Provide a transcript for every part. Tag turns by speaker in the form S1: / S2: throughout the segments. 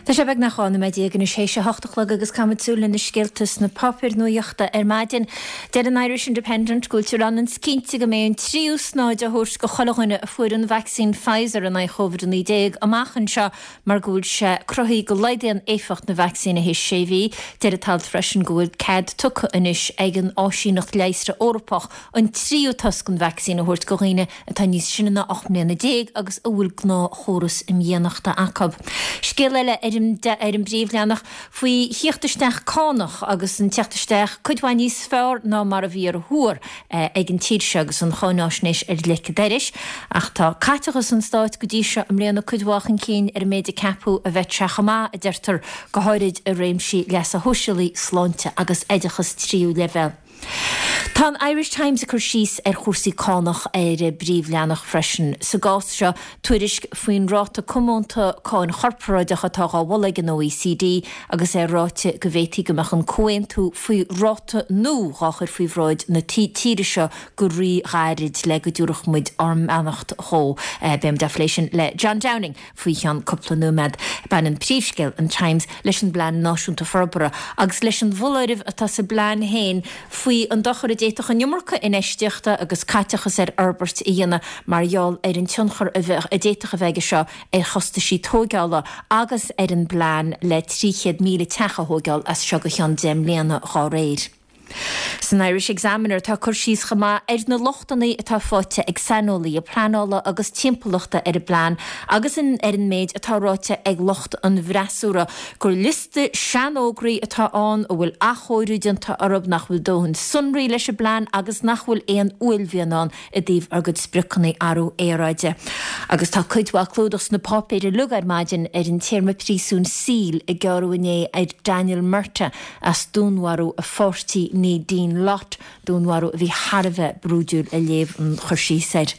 S1: Tá sé beagnach 12 nóiméad anois théis a hocht a chlog agus caithfimid súil ar na scéalta sna páipéir nuaíochta ar maidin. Deir an Irish Independent go bhfuiltear ionann 's cinnte go mbeidh an tríú snáithe á thabhairt go chuile dhuine a fuair an vacsaín Pfizer in aghaidh Covid-19 amach anseo mar go bhfuil sé cruthaithe go laghdaíonn éifeacht na vacsaíne théis sé mhí. Deir an t-alt freisin go bhfuil cead tugtha anois ag an Áisíneacht Leigheasra Eorpach an tríú tost den vacsaín a thabhairt go dhaoine atá níos sine ná 18 mbliana agus a bhfuil gnáthchóras imdhíonachta acu. Scéal eile ar an ar an bpríomhleathanach faoi thíocht isteach cánach agus an tíocht isteach cuid mhaith níos fearr ná mar a bhí ar thuar ag an tír seo agus an cháináisnéis ar leic an dorais. Ach tá caiteachas an stáit go dtí seo i mbliana cuid mhaith chun cinn ar an méid a ceapadh a bheadh sé chomh maith, a deirtear, go háirid i réimsí leasa shóisialaigh, sláinte agus oideachas tríú leibhéal. Tá an Irish Times ag cur síos ar chúrsaí cánach ar a bpríomhleathanach freisin. Sa gcás seo, tuairisc faoin ráta comónta cáin chorparáideach atá dhá mholadh ag an OECD agus é ráite go bhféadfaí go mbeadh an comhaontú faoi ráta nua dhá chur faoi bhráid na tíre seo go rí-ghairid le go dtabharfadh muid ár mbeannacht dhó. Beidh muid á phlé sin le John Downing. Faoi cheann cúpla nóiméad, baineann príomhscéal an Times leis an bPlean Náisiúnta Forbartha agus leis an bhfoláireamh atá sa bplean féin faoi an dochar a d'fhéadfadh an iomarca infheistíochta agus caiteachas ar fhorbairt a dhéanamh mar gheall ar an tionchar a d'fhéadfadh a bheith aige seo ar chostaisí tóigeála agus ar an bplean le 300,000 teach a thóigeáil as seo go cheann 10 mbliana dhá réir. San Irish Examiner tá cur síos chomh maith ar na lochtanna atá faighte ag saineolaithe pleanála agus timpeallachta ar an bplean agus ar an méid atá ráite ag lucht an bhfreasúra gur liosta seanfhógraí atá ann a bhfuil athchóiriú déanta orthu, nach bhfuil dóthain sonraí leis an bplean agus nach bhfuil aon uaillmhian ann i dtaobh ár gcuid spriocanna athrú aeráide. Agus tá cuid mhaith clúdach sna páipéir uilig ar maidin ar an téarma príosúin saoil a gearradh inné ar Daniel Murtagh as dúnmharú a pháirtí Nadine Lott, dúnmharú a bhí thar a bheith brúidiúil a léamh an chur síos air.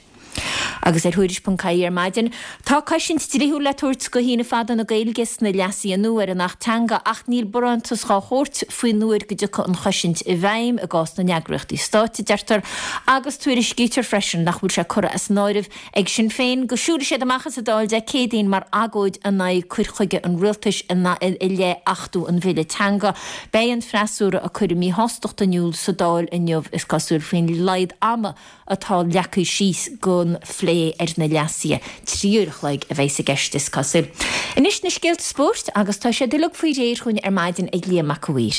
S1: Agus ar Thuairisc.ie ar maidin, tá cosaint dlíthiúil le tabhairt go shíneadh fada na Gaeilge sna leasuithe nua ar an Acht Teanga ach níl barántas dhá thabhairt faoin uair go dtiocfaidh an chosaint i bhfeidhm i gcás na n-eagraíochtaí stáit, a deirtear, agus tuairiscítear freisin nach bhfuil sé curtha as an áireamh Ag Sinn Féin go siúlfaidh siad amach as an Dáil Dé Céadaoin mar agóid in aghaidh cur chuige an rialtais i leith achtú an bhille teanga. Beidh an freasúra ag cur a míshástachta in iúl sa Dáil inniu, is cosúil, faoin laghad ama atá leagtha síos don phlé ar na leasuithe. 3 uair a chloig a bheas i gceist, is cosúil. Anois na scéalta spóirt agus tá siad uilig faoi réir chugainn ar maidin ag Liam Mac a' Mhaoir.